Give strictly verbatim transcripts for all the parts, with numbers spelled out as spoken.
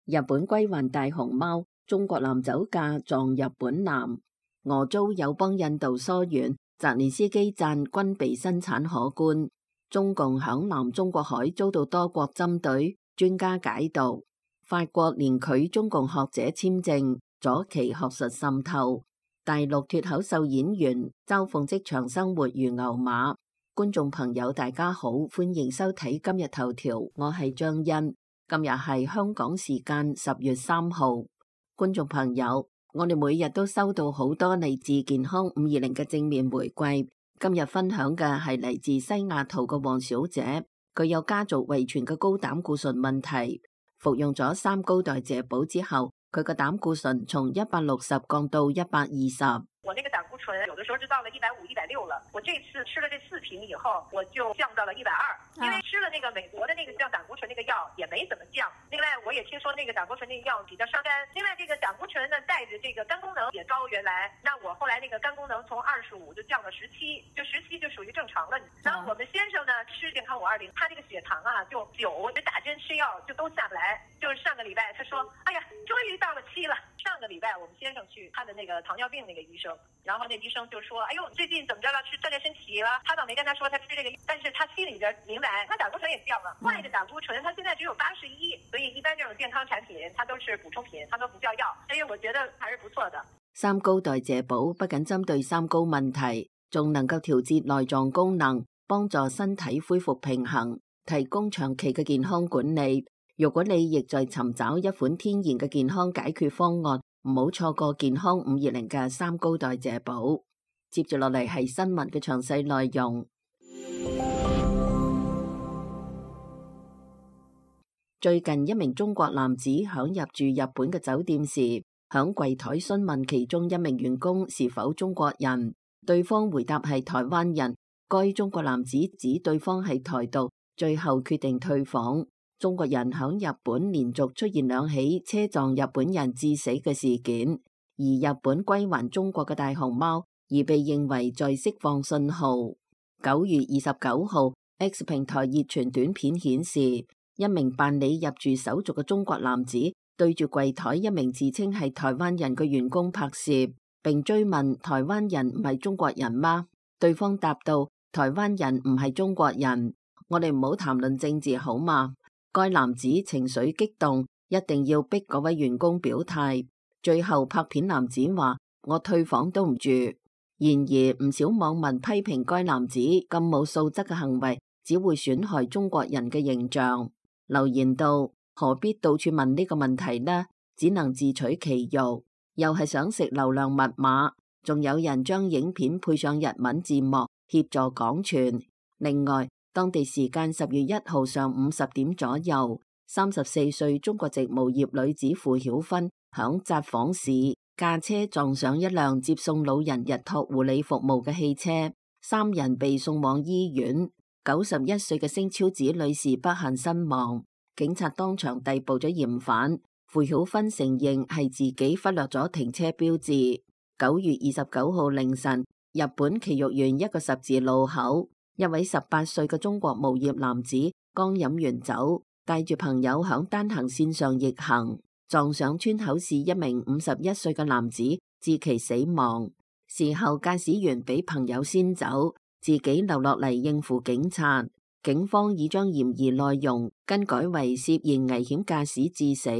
日本歸還大熊貓，中國男酒駕撞日本男。俄遭友邦印度疏遠，澤連斯基讚軍備生產可觀。中共響南中國海遭到多國針對，專家解讀。法國連拒中共學者簽證，阻其學術滲透。大陸脫口秀演員嘲諷職場生活如牛馬。觀眾朋友大家好，歡迎收睇今日頭條，我係張欣。今日係香港時間十月三號，觀眾朋友，我哋每日都收到好多嚟自健康五二零嘅正面回饋。今日分享嘅係嚟自西雅圖嘅黃小姐，佢有家族遺傳嘅高膽固醇問題，服用咗三高代謝寶之後，佢嘅膽固醇從一百六十降到一百二十。我那個膽固醇有的時候就到了一百五、一百六了。我這次吃了這四瓶以後，我就降到了一百二。因為吃了那個美國的那個降膽固醇那個藥也沒怎麼降。另外，我也聽說那個膽固醇那個藥比較傷肝。另外，這個膽固醇呢帶着這個肝功能也高，原來，那我後來那個肝功能從二十五就降到十七，就十七就屬於正常了。然後我們先生呢吃健康五二零，他這個血糖啊就九，就打針吃藥就都下不來。就是上個禮拜他說，哎呀，終於到了七了。上個禮拜我們先生去看的那個糖尿病那個醫生。然後那醫生就說，哎呦，最近怎麼着了？吃鍛煉身體了？他倒沒跟他說他吃這個，但是他心裏邊明白，他膽固醇也降了。壞的膽固醇，他現在只有八十一，所以一般這種健康產品，它都是補充品，它都不叫藥。所以我覺得還是不錯的。三高代謝寶不僅針對三高問題，仲能夠調節內臟功能，幫助身體恢復平衡，提供長期嘅健康管理。如果你亦在尋找一款天然嘅健康解決方案，唔好錯過健康五二零嘅三高代謝寶。接住落嚟係新聞嘅詳細內容。最近一名中國男子響入住日本嘅酒店時，響櫃台詢問其中一名員工是否中國人，對方回答係台灣人。該中國男子指對方係台獨，最後決定退房。中國人響日本連續出現兩起車撞日本人致死嘅事件，而日本歸還中國嘅大熊貓而被認為在釋放信號。九月二十九號 X 平台熱傳短片顯示，一名辦理入住手續嘅中國男子對住櫃台一名自稱係台灣人嘅員工拍攝，並追問台灣人唔係中國人嗎？對方答道，台灣人唔係中國人，我哋唔好談論政治好嗎？該男子情緒激動，一定要逼嗰位員工表態。最後拍片男子話，我退房都唔住。然而唔少網民批評該男子咁冇素質嘅行為，只會損害中國人嘅形象。留言道，何必到處問呢個問題呢？只能自取其辱，又係想食流量密碼。仲有人將影片配上日文字幕協助廣傳。另外，當地時間十月一號上午十點左右，三十四歲中國籍無業女子傅曉芬響札幌市駕車撞上一輛接送老人日托護理服務嘅汽車，三人被送往醫院。九十一歲嘅星超子女士不幸身亡，警察當場逮捕咗嫌犯。傅曉芬承認係自己忽略咗停車標誌。九月二十九號凌晨，日本埼玉縣一個十字路口，一位十八歲嘅中國無業男子剛飲完酒，帶住朋友響單行線上逆行，撞上村口市一名五十一歲嘅男子，致其死亡。事後駕駛員俾朋友先走，自己留落嚟應付警察。警方已將嫌疑內容更改為涉嫌危險駕駛致死，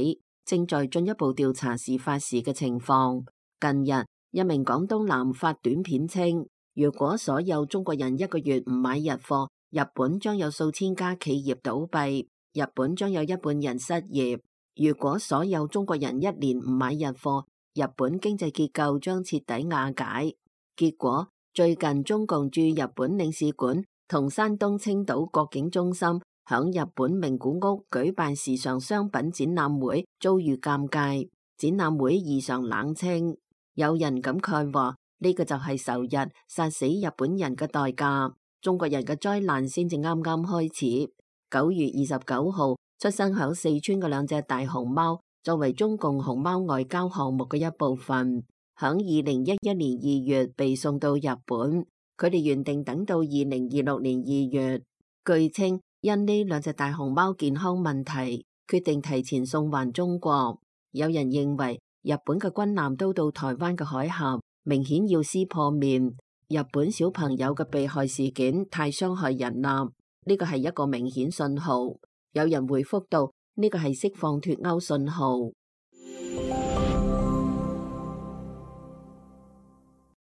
正在進一步調查事發時嘅情況。近日，一名廣東男發短片稱，如果所有中國人一個月唔買日貨，日本將有數千家企業倒閉，日本將有一半人失業。如果所有中國人一年唔買日貨，日本經濟結構將徹底瓦解。結果，最近中共駐日本領事館同山東青島國境中心響日本名古屋舉辦時尚商品展覽會，遭遇尷尬，展覽會異常冷清。有人感慨話，呢個就係仇日殺死日本人嘅代價，中國人嘅災難先至啱啱開始。九月二十九號出生響四川嘅兩隻大熊貓，作為中共熊貓外交項目嘅一部分，響二零一一年二月被送到日本，佢哋原定等到二零二六年二月。據稱，因呢兩隻大熊貓健康問題，決定提前送還中國。有人認為日本嘅軍艦都到台灣嘅海峽，明顯要撕破面。日本小朋友嘅被害事件太傷害人啦，呢個係一個明顯信號。有人回覆到呢個係釋放脫歐信號。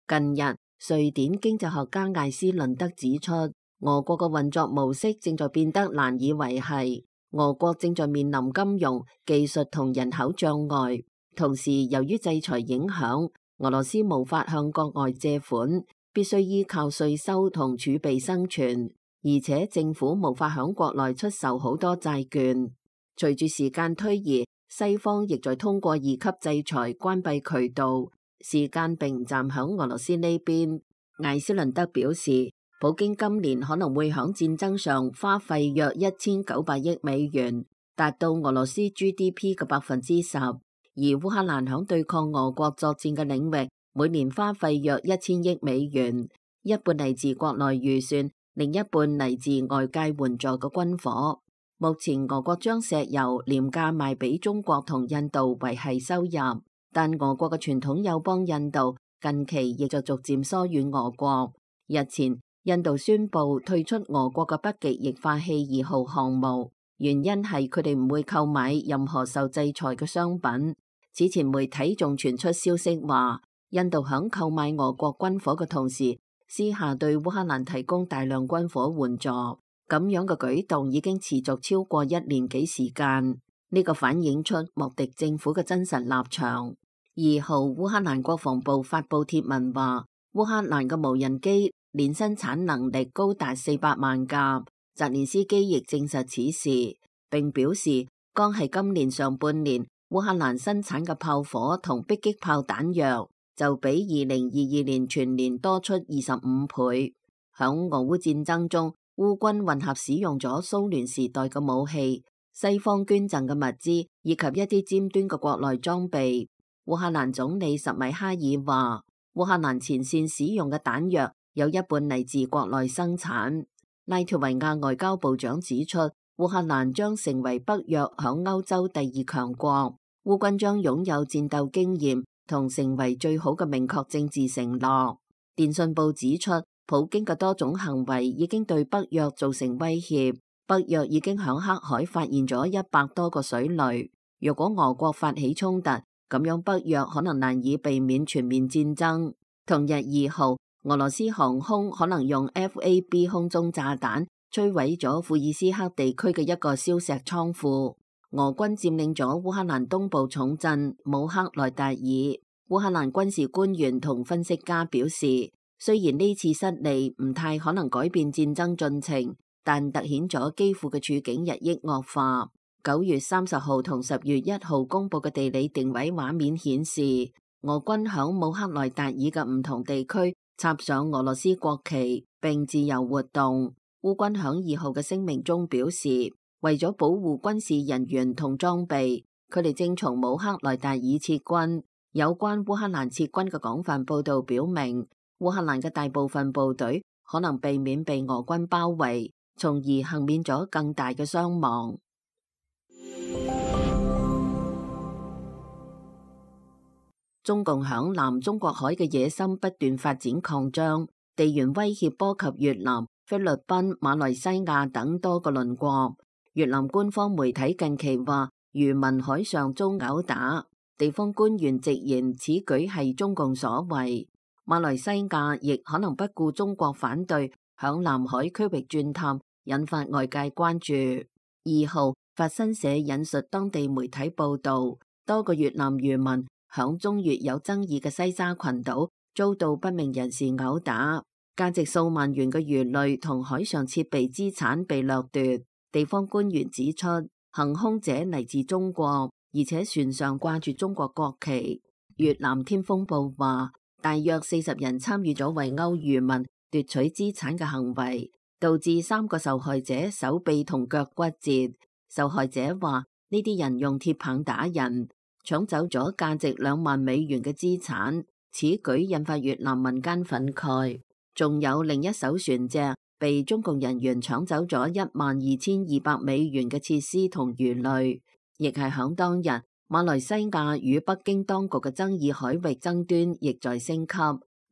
近日，瑞典經濟學家艾斯倫德指出，俄國嘅運作模式正在變得難以維繫，俄國正在面臨金融、技術同人口障礙。同時，由於制裁影響，俄羅斯無法向國外借款，必須依靠稅收同儲備生存，而且政府無法響國內出售好多債券。隨住時間推移，西方亦在通過二級制裁關閉渠道，時間並唔站響俄羅斯呢邊。艾斯倫德表示，普京今年可能會響戰爭上花費約一千九百億美元，達到俄羅斯 G D P 嘅百分之十。而烏克蘭響對抗俄國作戰嘅領域，每年花費約一千億美元，一半嚟自國內預算，另一半嚟自外界援助嘅軍火。目前俄國將石油廉價賣俾中國同印度維繫收入，但俄國嘅傳統友邦印度近期亦就逐漸疏遠俄國。日前，印度宣布退出俄國嘅北極液化氣二號項目，原因係佢哋唔會購買任何受制裁嘅商品。此前媒體仲傳出消息話，印度響購買俄國軍火嘅同時，私下對烏克蘭提供大量軍火援助。咁樣嘅舉動已經持續超過一年幾時間，呢個反映出莫迪政府嘅真實立場。二號，烏克蘭國防部發布貼文話，烏克蘭嘅無人機年生產能力高達四百萬架。澤連斯基亦證實此事，並表示，剛係今年上半年，烏克蘭生產嘅炮火同迫擊炮彈藥就比二零二二年全年多出二十五倍。響俄烏戰爭中，烏軍混合使用咗蘇聯時代嘅武器、西方捐贈嘅物資以及一啲尖端嘅國內裝備。烏克蘭總理什米哈爾話，烏克蘭前線使用嘅彈藥有一半嚟自國內生產。拉脫維亞外交部長指出，烏克蘭將成為北約響歐洲第二強國，烏軍將擁有戰鬥經驗同成為最好嘅明確政治承諾。電訊報指出，普京嘅多種行為已經對北約造成威脅，北約已經響黑海發現咗一百多個水雷。若果俄國發起衝突，咁樣北約可能難以避免全面戰爭。同日二號，俄羅斯航空可能用 F A B 空中炸彈摧毀咗庫爾斯克地區嘅一個硝石倉庫。俄軍佔領咗烏克蘭東部重鎮姆克萊達爾。烏克蘭軍事官員同分析家表示，雖然呢次失利唔太可能改變戰爭進程，但突顯咗基輔嘅處境日益惡化。九月三十號同十月一號公佈嘅地理定位畫面顯示，俄軍響姆克萊達爾嘅唔同地區插上俄羅斯國旗並自由活動。烏軍響二號嘅聲明中表示，為咗保護軍事人員同裝備，佢哋正從姆克萊達爾撤軍。有關烏克蘭撤軍嘅廣泛報道表明，烏克蘭嘅大部分部隊可能避免被俄軍包圍，從而幸免咗更大嘅傷亡。中共響南中國海嘅野心不斷發展擴張，地緣威脅波及越南、菲律賓、馬來西亞等多個鄰國。越南官方媒體近期話，漁民海上遭毆打，地方官員直言此舉係中共所為。馬來西亞亦可能不顧中國反對，響南海區域鑽探，引發外界關注。二號，法新社引述當地媒體報道，多個越南漁民響中越有爭議嘅西沙群島遭到不明人士毆打，價值數萬元嘅魚類同海上設備資產被掠奪。地方官員指出，行兇者嚟自中國，而且船上掛住中國國旗。越南天風報話，大約四十人參與咗圍毆漁民奪取資產嘅行為，導致三個受害者手臂同腳骨折。受害者話，呢啲人用鐵棒打人，搶走咗價值兩萬美元嘅資產，此舉引發越南民間憤慨。仲有另一艘船隻被中共人員搶走咗一萬二千二百美元嘅設施同魚類，亦係響當日，馬來西亞與北京當局嘅爭議海域爭端亦在升級。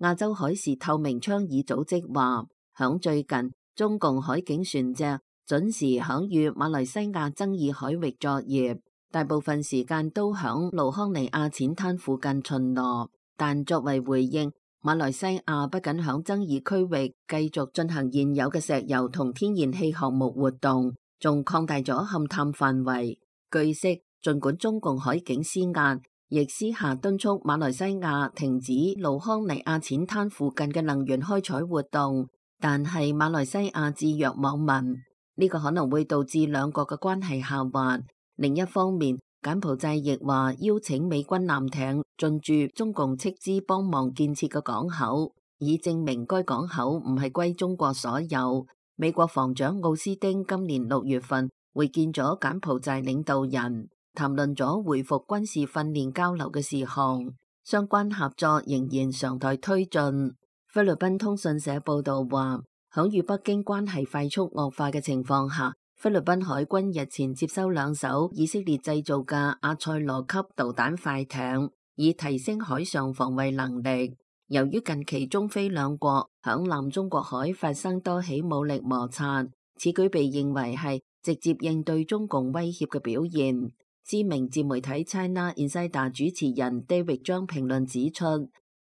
亞洲海事透明倡議組織話，響最近，中共海警船隻準時響與馬來西亞爭議海域作業，大部分時間都響盧康尼亞淺灘附近巡邏。但作為回應，馬來西亞不僅響爭議區域繼續進行現有嘅石油同天然氣項目活動，仲擴大咗勘探範圍。據悉，儘管中共海警施壓，亦私下敦促馬來西亞停止盧康尼亞淺灘附近嘅能源開採活動，但係馬來西亞置若罔聞，呢個可能會導致兩國嘅關係下滑。另一方面，柬埔寨亦話邀請美軍艦艇進駐中共斥資幫忙建設嘅港口，以證明該港口唔係歸中國所有。美國防長奧斯汀今年六月份會見咗柬埔寨領導人，談論咗恢復軍事訓練交流嘅事項，相關合作仍然常待推進。菲律賓通訊社報道話，響與北京關係快速惡化嘅情況下，菲律賓海軍日前接收兩艘以色列製造嘅阿塞羅級導彈快艇，以提升海上防衛能力。由於近期中菲兩國響南中國海發生多起武力摩擦，此舉被認為係直接應對中共威脅嘅表現。知名自媒體 China Insider 主持人 David 將評論指出，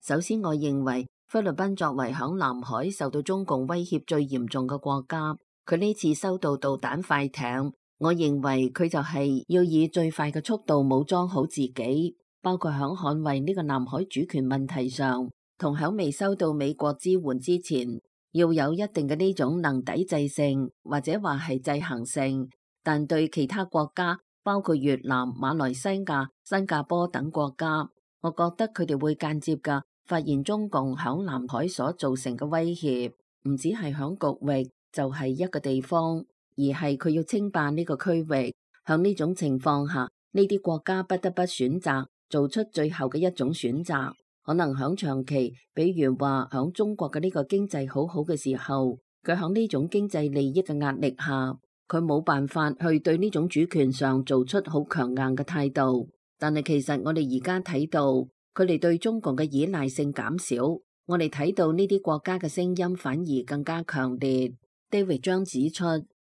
首先我認為菲律賓作為響南海受到中共威脅最嚴重嘅國家，佢呢次收到導彈快艇，我認為佢就係要以最快嘅速度武裝好自己，包括響捍衛呢個南海主權問題上，同響未收到美國支援之前，要有一定嘅呢種能抵制性，或者話係制衡性。但對其他國家，包括越南、馬來西亞、新加坡等國家，我覺得佢哋會間接嘅發現中共響南海所造成嘅威脅，唔止係響局域，就係一個地方，而係佢要稱霸呢個區域。響呢種情況下，呢啲國家不得不選擇做出最後嘅一種選擇。可能響長期，比如話響中國嘅呢個經濟好好嘅時候，佢響呢種經濟利益嘅壓力下，佢冇辦法去對呢種主權上做出好強硬嘅態度。但係其實我哋而家睇到，佢哋對中共嘅依賴性減少，我哋睇到呢啲國家嘅聲音反而更加強烈。David 將指出，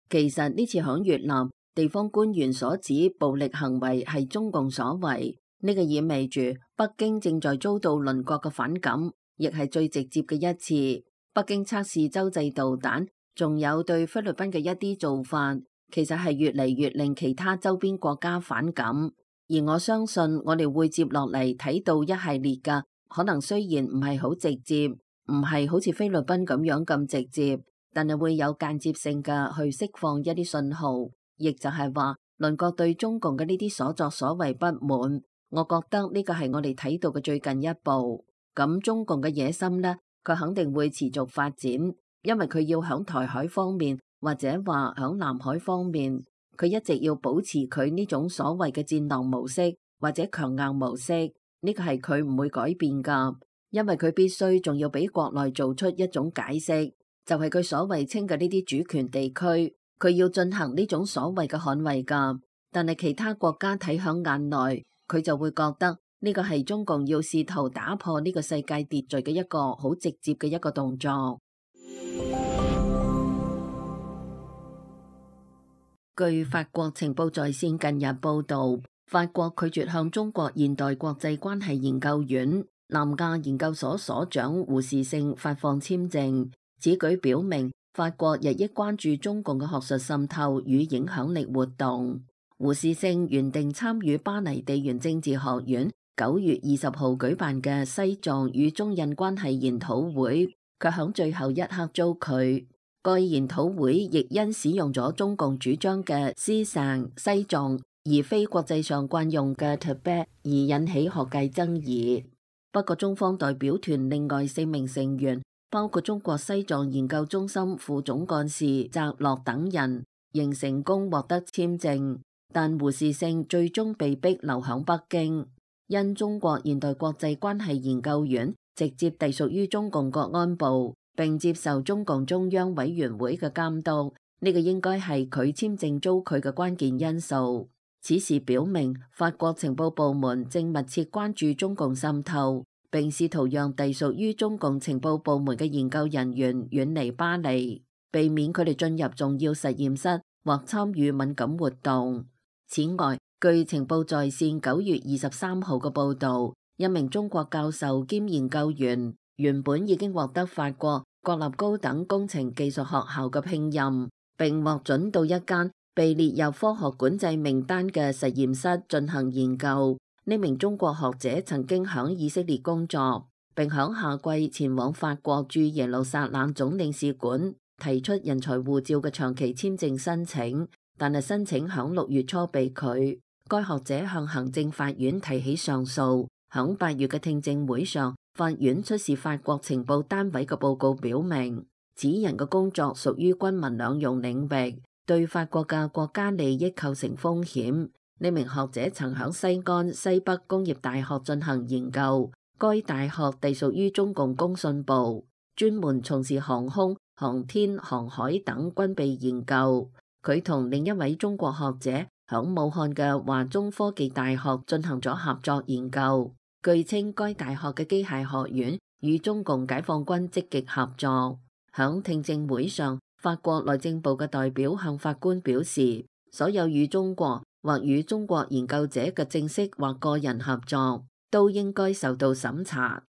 其實呢次響越南地方官員所指暴力行為係中共所為，呢個意味住北京正在遭到鄰國嘅反感，亦係最直接嘅一次。北京測試洲際導彈，仲有對菲律賓嘅一啲做法，其實係越嚟越令其他周邊國家反感。而我相信我哋會接落嚟睇到一系列嘅，可能雖然唔係好直接，唔係好似菲律賓咁樣咁直接，但係會有間接性嘅去釋放一啲信號，亦就係話鄰國對中共嘅呢啲所作所為不滿。我覺得呢個係我哋睇到嘅最近一步。咁中共嘅野心呢，佢肯定會持續發展，因為佢要響台海方面或者話響南海方面，佢一直要保持佢呢種所謂嘅戰狼模式或者強硬模式，呢個係佢唔會改變噶，因為佢必須仲要俾國內做出一種解釋，就係佢所謂稱嘅呢啲主權地區，佢要進行呢種所謂嘅捍衛噶。但係其他國家睇響眼內，佢就會覺得呢個係中共要試圖打破呢個世界秩序嘅一個好直接嘅一個動作。據法國情報在線近日報道，法國拒絕向中國現代國際關係研究院南亞研究所所長胡士勝發放簽證。此舉表明法國日益關注中共嘅學術滲透與影響力活動。胡士勝原定參與巴黎地緣政治學院九月二十號舉辦嘅西藏與中印關係研討會，卻響最後一刻遭拒。該研討會亦因使用咗中共主張嘅思想西藏，而非國際上慣用嘅 Tibet 而引起學界爭議。不過中方代表團另外四名成員，包括中國西藏研究中心副總幹事澤洛等人，仍成功獲得簽證。但胡士勝最終被逼留響北京，因中國現代國際關係研究院直接隸屬於中共國安部，並接受中共中央委員會嘅監督，呢個應該係佢簽證遭拒嘅關鍵因素。此事表明，法國情報部門正密切關注中共滲透，並試圖讓隸屬於中共情報部門嘅研究人員遠離巴黎，避免佢哋進入重要實驗室或參與敏感活動。此外，據情報在線九月二十三號嘅報導，一名中國教授兼研究員原本已經獲得法國國立高等工程技術學校嘅聘任，並獲准到一間被列入科學管制名單嘅實驗室進行研究。呢名中國學者曾經響以色列工作，並響夏季前往法國駐耶路撒冷總領事館提出人才護照嘅長期簽證申請，但係申請響六月初被拒。該學者向行政法院提起上訴。響八月嘅聽證會上，法院出示法國情報單位嘅報告，表明此人嘅工作屬於軍民兩用領域，對法國嘅國家利益構成風險。呢名學者曾響西安西北工業大學進行研究，該大學隸屬於中共工信部，專門從事航空、航天、航海等軍備研究。佢同另一位中國學者響武漢嘅華中科技大學進行咗合作研究。據稱，該大學嘅機械學院與中共解放軍積極合作。響聽證會上，法國內政部嘅代表向法官表示，所有與中國或與中國研究者嘅正式或個人合作都應該受到審查。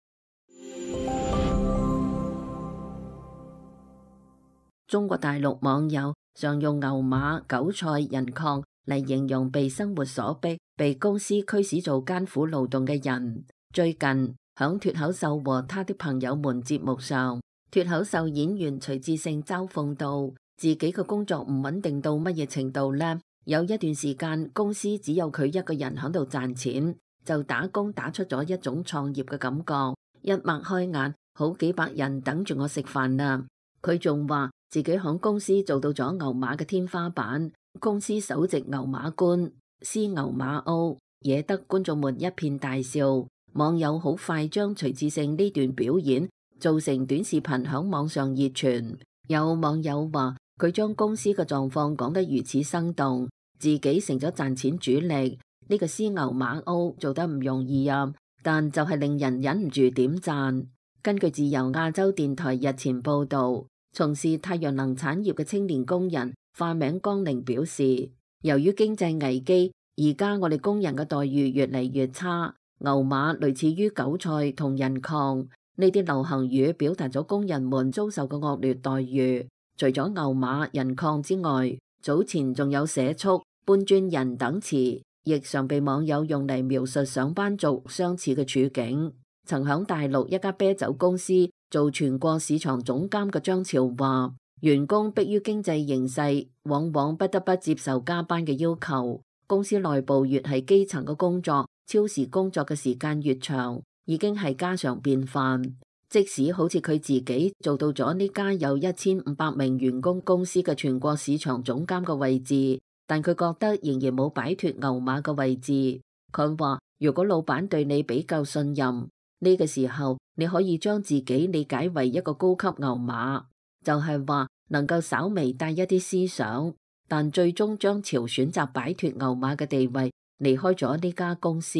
中國大陸網友常用牛馬、韭菜、人礦嚟形容被生活所逼、被公司驅使做艱苦勞動嘅人。最近響脫口秀和他的朋友們節目上，脫口秀演員徐志勝嘲諷到自己嘅工作唔穩定到乜嘢程度呢？有一段時間公司只有佢一個人喺度賺錢，就打工打出咗一種創業嘅感覺。一擘開眼，好幾百人等住我食飯啦。佢仲話自己響公司做到咗牛馬嘅天花板，公司首席牛馬官，獅牛馬歐，惹得觀眾們一片大笑。網友好快將徐志勝呢段表演做成短視頻響網上熱傳。有網友話佢將公司嘅狀況講得如此生動，自己成咗賺錢主力。呢個獅牛馬歐做得唔容易啊，但就係令人忍唔住點讚。根據自由亞洲電台日前報道，從事太陽能產業嘅青年工人化名江寧表示，由於經濟危機，而家我哋工人嘅待遇越嚟越差。牛馬類似於韭菜同人礦，呢啲流行語表達咗工人們遭受嘅惡劣待遇。除咗牛馬、人礦之外，早前仲有社畜、搬磚人等詞，亦常被網友用嚟描述上班族相似嘅處境。曾響大陸一家啤酒公司做全國市場總監嘅張潮話，員工迫於經濟形勢，往往不得不接受加班嘅要求。公司內部越係基層嘅工作，超時工作嘅時間越長，已經係家常便飯。即使好似佢自己做到咗呢家有一千五百名員工公司嘅全國市場總監嘅位置，但佢覺得仍然冇擺脫牛馬嘅位置。佢話如果老闆對你比較信任，呢個時候你可以將自己理解為一個高級牛馬，就係話能夠稍微帶一啲思想，但最終張潮選擇擺脫牛馬嘅地位，離開咗呢家公司。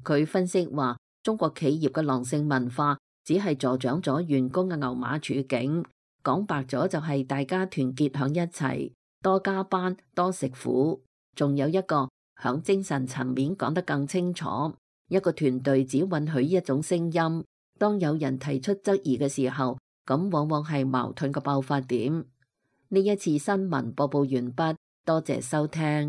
佢分析話，中國企業嘅狼性文化只係助長咗員工嘅牛馬處境，講白咗就係大家團結響一齊，多加班多食苦。仲有一個響精神層面講得更清楚，一個團隊只允許一種聲音，當有人提出質疑嘅時候，咁往往係矛盾嘅爆發點。呢一次新聞播報完畢，多謝收聽。